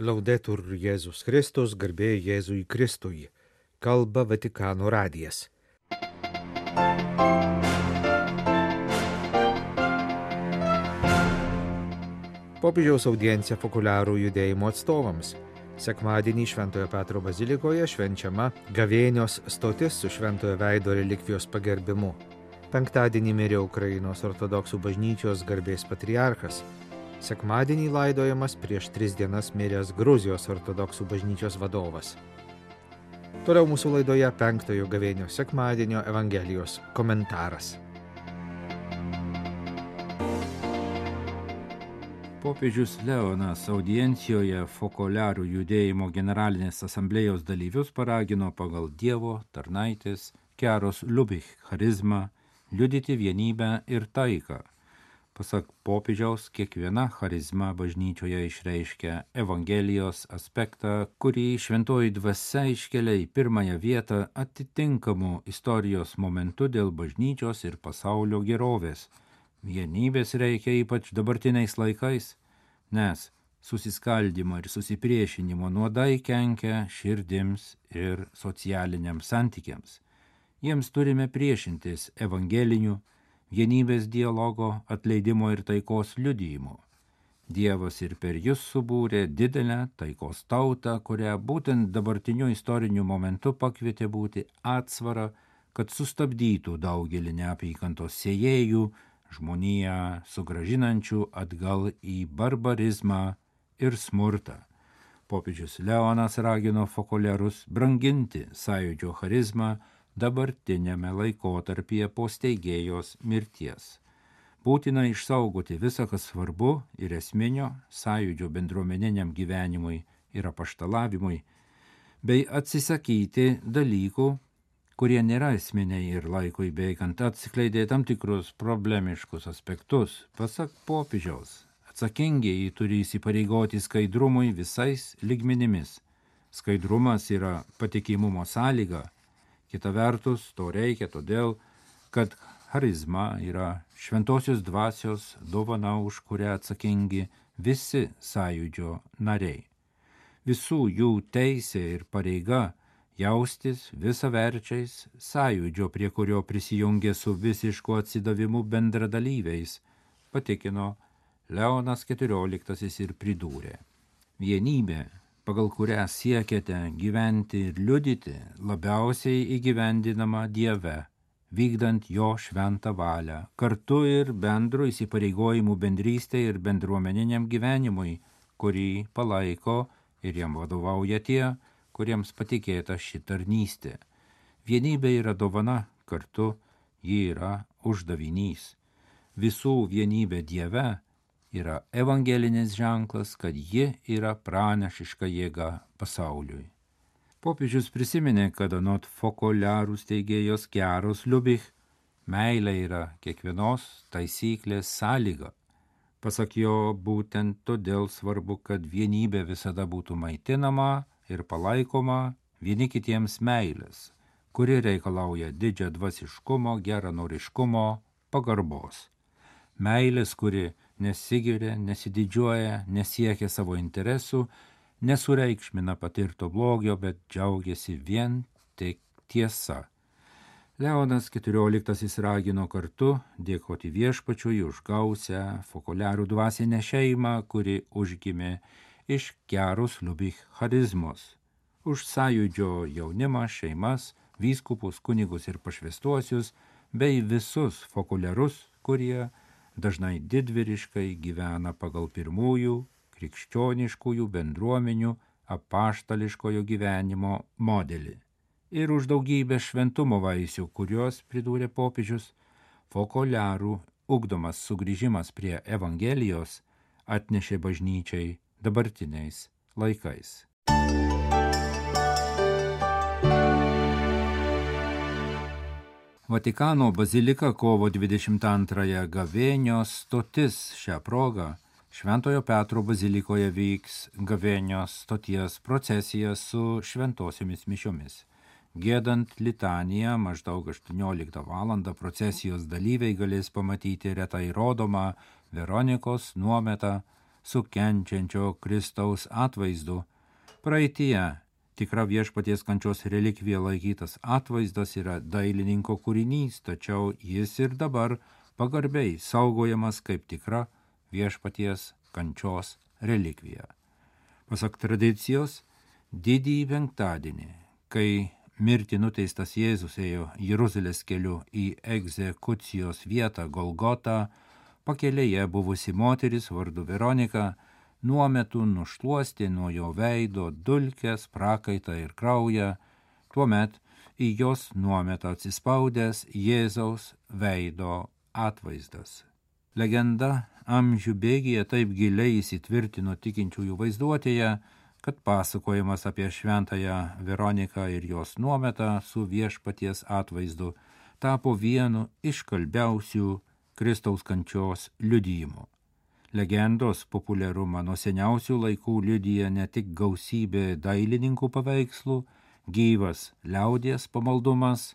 Laudetur Jėzus Kristus, garbė Jėzui Kristui. Kalba Vatikano radijas. Popiežiaus audiencija Fokuliarų judėjimo atstovams. Sekmadienį Šventojo Petro bazilikoje švenčiama gavėnios stotis su Šventojo veido relikvijos pagerbimu. Penktadienį mirė Ukrainos ortodoksų bažnyčios garbės patriarchas. Sekmadienį laidojamas prieš 3 dienas miręs Gruzijos ortodoksų bažnyčios vadovas. Toliau mūsų laidoje 5-ojo gavėnios sekmadienio Evangelijos komentaras. Popiežius Leonas audiencijoje Fokuliarų judėjimo generalinės asamblėjos dalyvius paragino pagal Dievo tarnaitės Keros Liubich charizmą liudyti vienybę ir taiką. Pasak popiežiaus, kiekviena charizma bažnyčioje išreiškia Evangelijos aspektą, kurį šventoji dvasia iškelia į pirmąją vietą atitinkamų istorijos momentų dėl bažnyčios ir pasaulio gerovės. Vienybės reikia ypač dabartiniais laikais, nes susiskaldymo ir susipriešinimo nuodai kenkia širdims ir socialiniams santykiams. Jiems turime priešintis evangelinių, vienybės dialogo, atleidimo ir taikos liudijimo. Dievas ir per jus subūrė didelę taikos tautą, kurią būtent dabartiniu istoriniu momentu pakvietė būti atsvara, kad sustabdytų daugelį neapykantos sėjėjų, žmoniją sugrąžinančių atgal į barbarizmą ir smurtą. Popiežius Leonas ragino fokuliarus branginti sąjūdžio charizmą dabartinėme laikotarpyje po steigėjos mirties. Būtina išsaugoti visą, kas svarbu ir esminio sąjūdžio bendruomeniniam gyvenimui ir apaštalavimui, bei atsisakyti dalykų, kurie nėra esminiai ir laikui bėgant atskleidė tam tikrus problemiškus aspektus. Pasak popiežiaus, atsakingieji turi įsipareigoti skaidrumui visais lygmenimis. Skaidrumas yra patikimumo sąlyga. Kita vertus, to reikia todėl, kad charizma yra šventosios dvasios dovana, už kurią atsakingi visi sąjūdžio nariai. Visų jų teisė ir pareiga jaustis visaverčiais sąjūdžio, prie kurio prisijungė su visišku atsidavimu bendradalyviais, patikino Leonas XIV ir pridūrė. Vienybė, pagal kurią siekiate gyventi ir liudyti, labiausiai įgyvendinama Dieve, vykdant jo šventą valią, kartu ir bendro įsipareigojimų bendrystė ir bendruomeniniam gyvenimui, kurį palaiko ir jam vadovauja tie, kuriems patikėta ši tarnystė. Vienybė yra dovana, kartu ji yra uždavinys. Visų vienybė Dieve yra evangelinis ženklas, kad ji yra pranašiška jėga pasauliui. Popiežius prisiminė, kad anot Fokuliarų steigėjos Keros Liubich meilė yra kiekvienos taisyklės sąlyga. Pasak jo, būtent todėl svarbu, kad vienybė visada būtų maitinama ir palaikoma vieni kitiems meilės, kuri reikalauja didžią dvasiškumo, geranoriškumo, pagarbos. Meilės, kuri nesigiria, nesididžiuoja, nesiekia savo interesų, nesureikšmina patirto blogio, bet džiaugiasi vien tik tiesa. Leonas XIV ragino kartu dėkoti Viešpačiui už gausią fokuliarų dvasinę šeimą, kuri užgimė iš Keros Liubich charizmos, už sąjūdžio jaunimą, šeimas, vyskupus, kunigus ir pašvęstuosius, bei visus fokuliarus, kurie dažnai didvyriškai gyvena pagal pirmųjų krikščioniškųjų bendruomenių apaštališkojo gyvenimo modelį. Ir už daugybę šventumo vaisių, kuriuos, pridūrė popiežius, fokuliarų ugdomas sugrįžimas prie Evangelijos atnešė bažnyčiai dabartiniais laikais. Vatikano bazilika kovo 22 gavėnios stotis. Šią progą Šventojo Petro bazilikoje vyks gavėnios stoties procesija su šventosiomis mišiomis. Giedant litaniją maždaug 18 val. Procesijos dalyviai galės pamatyti retai rodomą Veronikos nuometą su kenčiančio Kristaus atvaizdu. Praeityje tikra viešpaties kančios relikvija laikytas atvaizdas yra dailininko kūrinys, tačiau jis ir dabar pagarbiai saugojamas kaip tikra viešpaties kančios relikvija. Pasak tradicijos, didįjį penktadienį, kai mirti nuteistas Jėzus ėjo Jeruzalės keliu į egzekucijos vietą Golgotą, pakelėje buvusi moteris vardu Veronika nuometu nušluostė nuo jo veido dulkes, prakaitą ir kraują, tuomet į jos nuometą atsispaudęs Jėzaus veido atvaizdas. Legenda amžių bėgyje taip giliai įsitvirtino tikinčiųjų vaizduotėje, kad pasakojimas apie šventąją Veroniką ir jos nuometą su viešpaties atvaizdu tapo vienu iš kalbiausių Kristaus kančios liudijimų. Legendos populiarumą nuo seniausių laikų liudija ne tik gausybė dailininkų paveikslų, gyvas liaudies pamaldumas.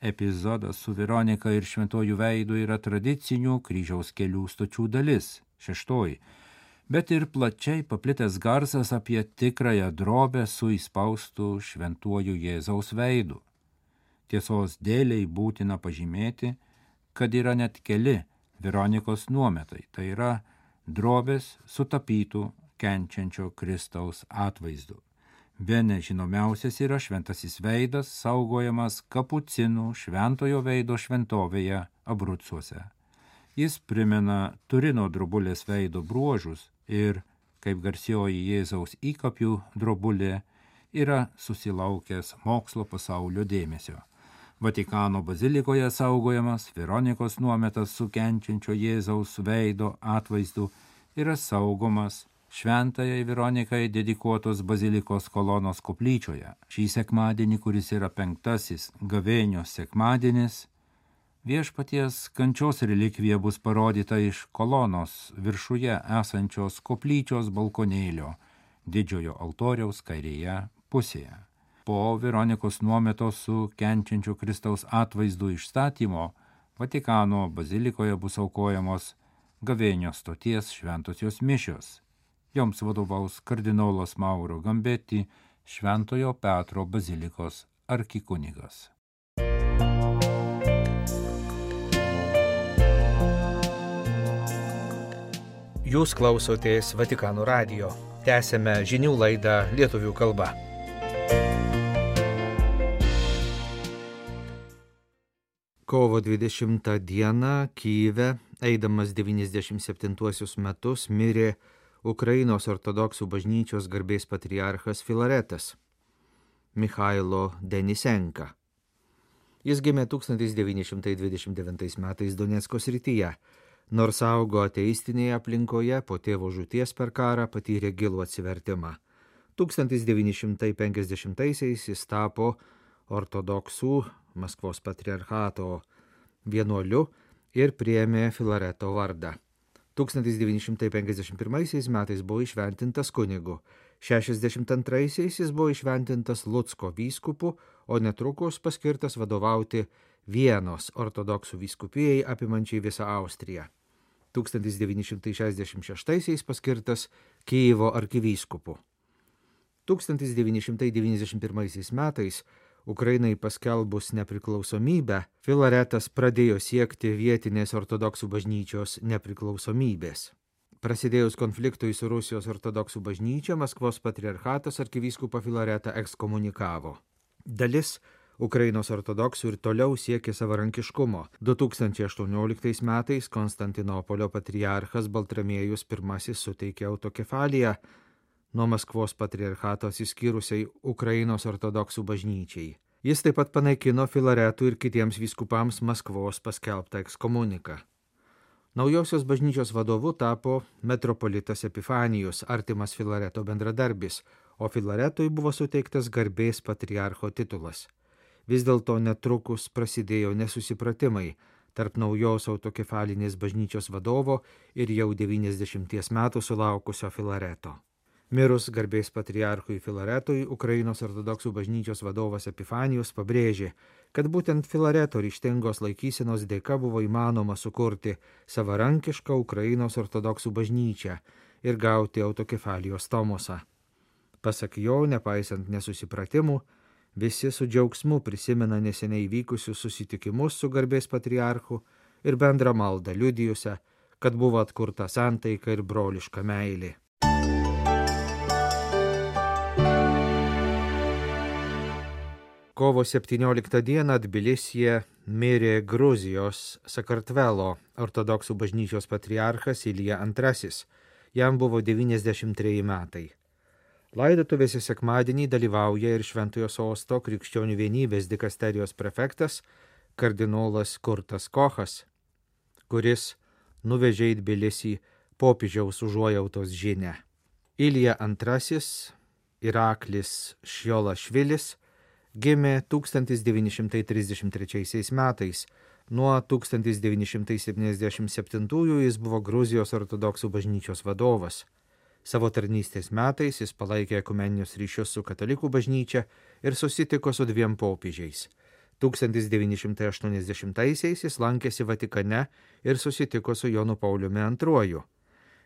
Epizodas su Veronika ir šventojų veidu yra tradicinių kryžiaus kelių stočių dalis, 6, bet ir plačiai paplitęs garsas apie tikrąją drobę su įspaustu šventuoju Jėzaus veidu. Tiesos dėliai būtina pažymėti, kad yra net keli Veronikos nuometai, tai yra drobės sutapytų kenčiančio Kristaus atvaizdu. Bene žinomiausias yra šventasis veidas, saugojamas kapucinų šventojo veido šventovėje Abrucuose. Jis primena Turino drobulės veido bruožus ir, kaip garsioji Jėzaus įkapių drobulė, yra susilaukęs mokslo pasaulio dėmesio. Vatikano bazilikoje saugojamas Veronikos nuometas su kenčiančio Jėzaus veido atvaizdu yra saugomas šventajai Veronikai dedikuotos bazilikos kolonos koplyčioje. Šį sekmadienį, kuris yra 5. gavėnios sekmadienis, viešpaties kančios relikvija bus parodyta iš kolonos viršuje esančios koplyčios balkonėlio didžiojo altoriaus kairėje pusėje. Po Veronikos nuometos su kenčiančio Kristaus atvaizdu išstatymo Vatikano bazilikoje bus aukojamos gavėnios stoties šventosios mišios. Joms vadovaus kardinolas Mauro Gambetti, Šventojo Petro bazilikos arkikunigas. Jūs klausotės Vatikano radijo. Tęsėme žinių laidą lietuvių kalba. Kovo 20 dieną Kyjive, eidamas 97 metus, mirė Ukrainos ortodoksų bažnyčios garbės patriarchas Filaretas Michailo Denisenka. Jis gimė 1929 metais Donecko srityje, nors augo ateistinėje aplinkoje, po tėvo žūties per karą patyrė gilų atsivertimą. 1950-aisiais jis tapo ortodoksų Maskvos patriarchato vienuoliu ir priėmė Filareto vardą. 1951 metais buvo įšventintas kunigu, 62 jis buvo įšventintas Lucko vyskupu, o netrukus paskirtas vadovauti Vienos ortodoksų vyskupijai apimančiai visą Austriją. 1966 paskirtas Kyjivo arkivyskupu. 1991 metais Ukrainai paskelbus nepriklausomybę, Filaretas pradėjo siekti vietinės ortodoksų bažnyčios nepriklausomybės. Prasidėjus konfliktui su Rusijos ortodoksų bažnyčia, Maskvos patriarchatas arkivyskupą Filaretą ekskomunikavo. Dalis Ukrainos ortodoksų ir toliau siekė savarankiškumo. 2018 metais Konstantinopolio patriarchas Baltramiejus I suteikė autokefaliją nuo Maskvos patriarchato atsiskyrusiai Ukrainos ortodoksų bažnyčiai. Jis taip pat panaikino Filaretų ir kitiems vyskupams Maskvos paskelbtą ekskomuniką. Naujosios bažnyčios vadovu tapo metropolitas Epifanijus, artimas Filareto bendradarbis, o Filaretui buvo suteiktas garbės patriarcho titulas. Vis dėlto netrukus prasidėjo nesusipratimai tarp naujos autokefalinės bažnyčios vadovo ir jau 90 metų sulaukusio Filareto. Mirus garbės patriarchui Filaretui, Ukrainos ortodoksų bažnyčios vadovas Epifanijus pabrėžė, kad būtent Filareto ryžtingos laikysenos dėka buvo įmanoma sukurti savarankišką Ukrainos ortodoksų bažnyčią ir gauti autokefalijos tomosą. Pasak jo, nepaisant nesusipratimų, visi su džiaugsmu prisimena neseniai vykusius susitikimus su garbės patriarchu ir bendrą maldą liudijusią, kad buvo atkurta santaika ir broliška meilė. Kovo 17 dieną Tbilisyje mirė Gruzijos Sakartvelo ortodoksų bažnyčios patriarchas Ilija II. Jam buvo 93 metai. Laidotuvėse sekmadienį dalyvauja ir Šventojo Sosto Krikščionių vienybės dikasterijos prefektas kardinolas Kurtas Kochas, kuris nuvežė į Tbilisį popiežiaus užuojautos žinią. Ilija II Iraklis Šjolašvilis gimė 1933 metais. Nuo 1977 jis buvo Gruzijos ortodoksų bažnyčios vadovas. Savo tarnystės metais jis palaikė ekumeninius ryšius su katalikų bažnyčia ir susitiko su 2 popiežiais. 1980-aisiais jis lankėsi Vatikane ir susitiko su Jonu Pauliumi II.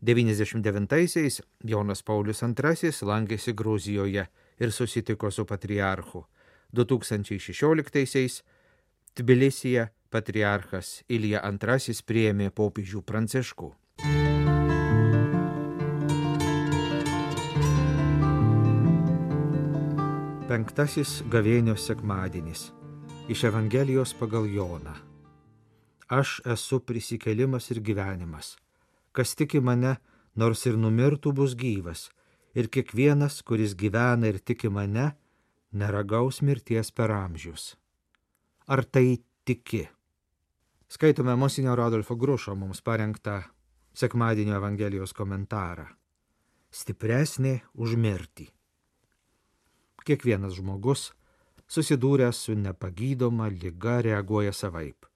1999-aisiais Jonas Paulius II lankėsi Gruzijoje ir susitiko su patriarchu. 2016-aisiais Tbilisyje patriarchas Ilija II priėmė popiežių Pranciškų. Penktasis gavėnios sekmadienis. Iš Evangelijos pagal Joną. Aš esu prisikėlimas ir gyvenimas. Kas tiki mane, nors ir numirtų, bus gyvas. Ir kiekvienas, kuris gyvena ir tiki mane, neragaus mirties per amžius. Ar tai tiki? Skaitome monsinjoro Adolfo Grušo mums parengtą sekmadienio Evangelijos komentarą. Stipresnė už mirtį. Kiekvienas žmogus, susidūręs su nepagydoma liga, reaguoja savaip.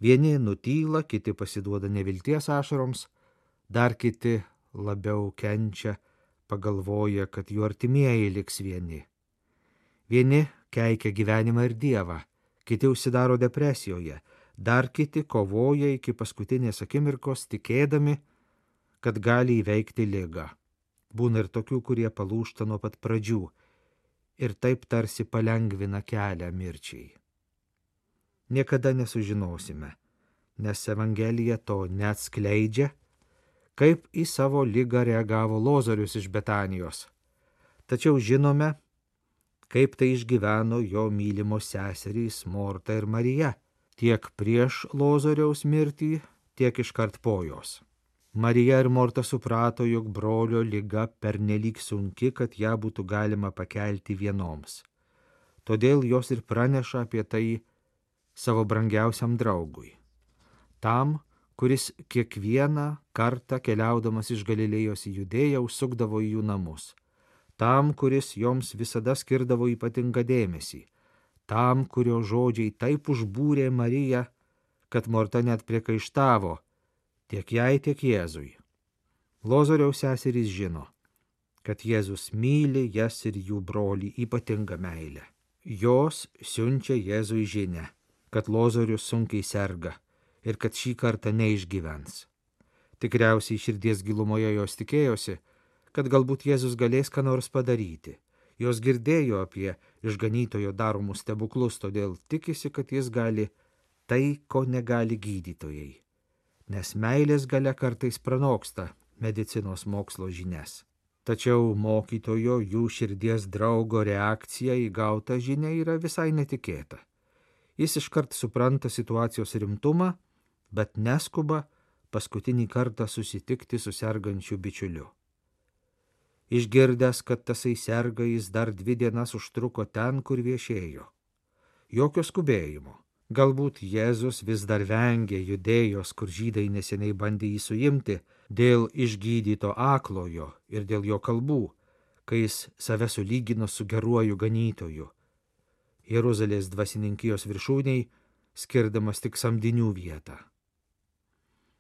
Vieni nutyla, kiti pasiduoda nevilties ašaroms, dar kiti labiau kenčia, pagalvoja, kad jų artimieji liks vieni. Vieni keikia gyvenimą ir Dievą, kiti užsidaro depresijoje, dar kiti kovoja iki paskutinės akimirkos, tikėdami, kad gali įveikti ligą. Būna ir tokių, kurie palūžta nuo pat pradžių ir taip tarsi palengvina kelią mirčiai. Niekada nesužinosime, nes Evangelija to neatskleidžia, kaip į savo ligą reagavo Lozorius iš Betanijos. Tačiau žinome, kaip tai išgyveno jo mylimos seserys Morta ir Marija, tiek prieš Lozoriaus mirtį, tiek iškart po jos. Marija ir Morta suprato, jog brolio liga pernelyg sunki, kad ją būtų galima pakelti vienoms. Todėl jos ir praneša apie tai savo brangiausiam draugui. Tam, kuris kiekvieną kartą keliaudamas iš Galilėjos į Judėją užsukdavo į jų namus. Tam, kuris joms visada skirdavo ypatingą dėmesį. Tam, kurio žodžiai taip užbūrė Mariją, kad Morta net priekaištavo tiek jai, tiek Jėzui. Lozoriaus seserys žino, kad Jėzus myli jas ir jų brolį ypatingą meilę. Jos siunčia Jėzui žinią, kad Lozorius sunkiai serga ir kad šį kartą neišgyvens. Tikriausiai širdies gilumoje jos tikėjosi, kad galbūt Jėzus galės ką nors padaryti. Jos girdėjo apie išganytojo daromus stebuklus, todėl tikisi, kad jis gali tai, ko negali gydytojai. Nes meilės galia kartais pranoksta medicinos mokslo žinias. Tačiau mokytojo, jų širdies draugo reakcija į gautą žinią yra visai netikėta. Jis iškart supranta situacijos rimtumą, bet neskuba paskutinį kartą susitikti su sergančiu bičiuliu. Išgirdęs, kad tasai serga, jis dar 2 dienas užtruko ten, kur viešėjo. Jokio skubėjimo. Galbūt Jėzus vis dar vengė Judėjos, kur žydai neseniai bandė jį suimti, dėl išgydyto aklojo ir dėl jo kalbų, kai jis save sulygino su geruoju ganytoju. Jeruzalės dvasininkijos viršūniai skirdamas tik samdinių vietą.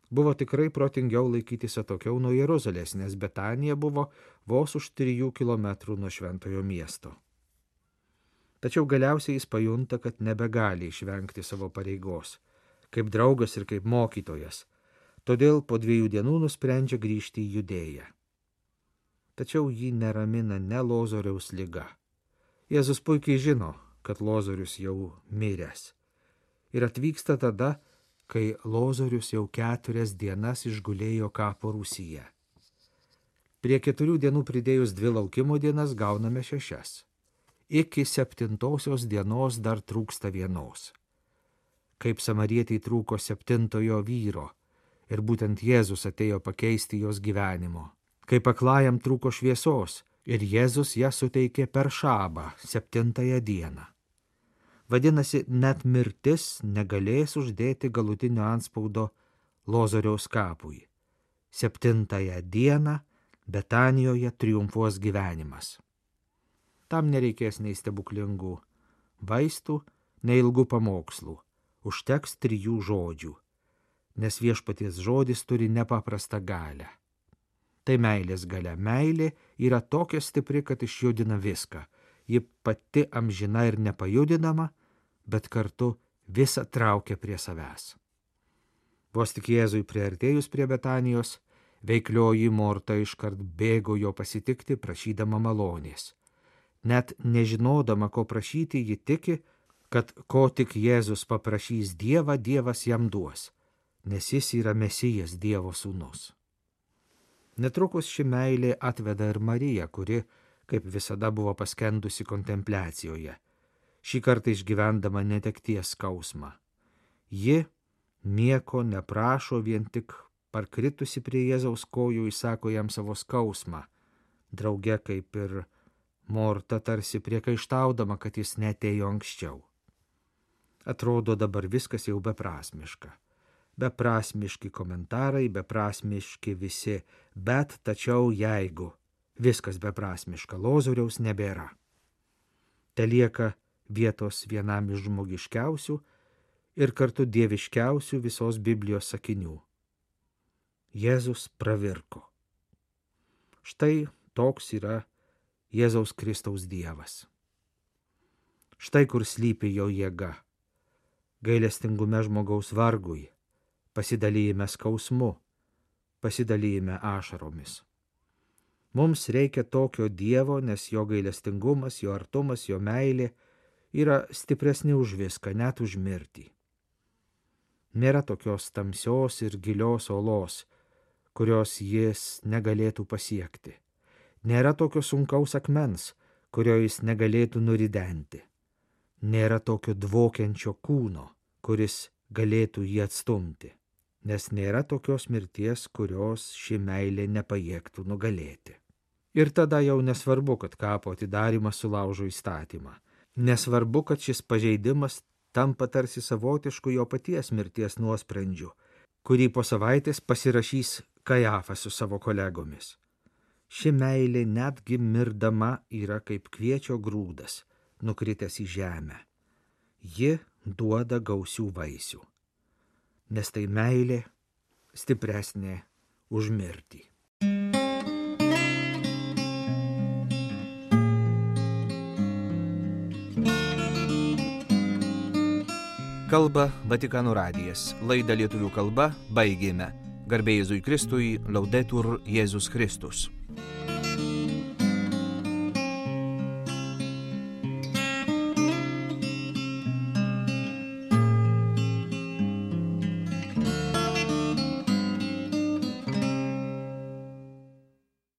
Buvo tikrai protingiau laikytis atokiau nuo Jeruzalės, nes Betanija buvo vos už 3 kilometrų nuo šventojo miesto. Tačiau galiausiai jis pajunta, kad nebegali išvengti savo pareigos, kaip draugas ir kaip mokytojas. Todėl po 2 dienų nusprendžia grįžti į Judėją. tačiau jį neramina ne Lozoriaus liga. Jėzus puikiai žino, kad Lozorius jau miręs. Ir atvyksta tada, kai Lozorius jau 4 dienas išgulėjo kapo rūsyje. Prie 4 dienų pridėjus 2 laukimo dienas gauname 6. Iki 7 dienos dar trūksta 1. Kaip samarietei trūko 7 vyro, ir būtent Jėzus atėjo pakeisti jos gyvenimo. Kaip aklajam trūko šviesos, ir Jėzus ją suteikė per šabą 7 dieną. Vadinasi, net mirtis negalės uždėti galutinio antspaudo Lozoriaus kapui. 7 dieną Betanijoje triumfuos gyvenimas. Tam nereikės nei stebuklingų vaistų, nei ilgų pamokslų. Užteks 3 žodžių, nes viešpaties žodis turi nepaprastą galią. Tai meilės galia. Meilė yra tokia stipri, kad išjudina viską. Ji pati amžina ir nepajudinama, bet kartu visą traukia prie savęs. Vos tik Jėzui priartėjus prie Betanijos, veiklioji Morta iškart bėgo jo pasitikti, prašydama malonės. Net nežinodama, ko prašyti, ji tiki, kad ko tik Jėzus paprašys Dievą, Dievas jam duos, nes jis yra Mesijas, Dievo sūnus. Netrukus ši meilė atveda ir Mariją, kuri, kaip visada, buvo paskendusi kontempliacijoje, šį kartą išgyvendama netekties skausmą. Ji nieko neprašo, vien tik parkritusi prie Jėzaus kojų įsako jam savo skausmą, drauge kaip ir Morta tarsi priekaištaudama, kad jis neatėjo anksčiau. Atrodo dabar viskas jau beprasmiška. Beprasmiški komentarai, beprasmiški visi, bet tačiau jeigu viskas beprasmiška, Lozoriaus nebėra. Telieka vietos vienam iš žmogiškiausių ir kartu dieviškiausių visos Biblijos sakinių. Jėzus pravirko. Štai toks yra Jėzaus Kristaus Dievas. Štai kur slypi jo jėga. Gailestingume žmogaus vargui, pasidalyjime skausmu, pasidalyjime ašaromis. Mums reikia tokio Dievo, nes jo gailestingumas, jo artumas, jo meilė yra stipresni už viską, net už mirtį. Nėra tokios tamsios ir gilios olos, kurios jis negalėtų pasiekti. Nėra tokio sunkaus akmens, kurio jis negalėtų nuridenti. Nėra tokio dvokiančio kūno, kuris galėtų jį atstumti, nes nėra tokios mirties, kurios ši meilė nepajėgtų nugalėti. Ir tada jau nesvarbu, kad kapo atidarymas sulaužo įstatymą. Nesvarbu, kad šis pažeidimas tampa tarsi savotišku jo paties mirties nuosprendžiu, kurį po savaitės pasirašys Kajafas su savo kolegomis. Ši meilė netgi mirdama yra kaip kviečio grūdas, nukritęs į žemę. Ji duoda gausių vaisių, nes tai meilė stipresnė už mirtį. Kalba Vatikano radijas. Laidą lietuvių kalba baigėme. Garbė Jėzui Kristui, Laudetur Jėzus Kristus.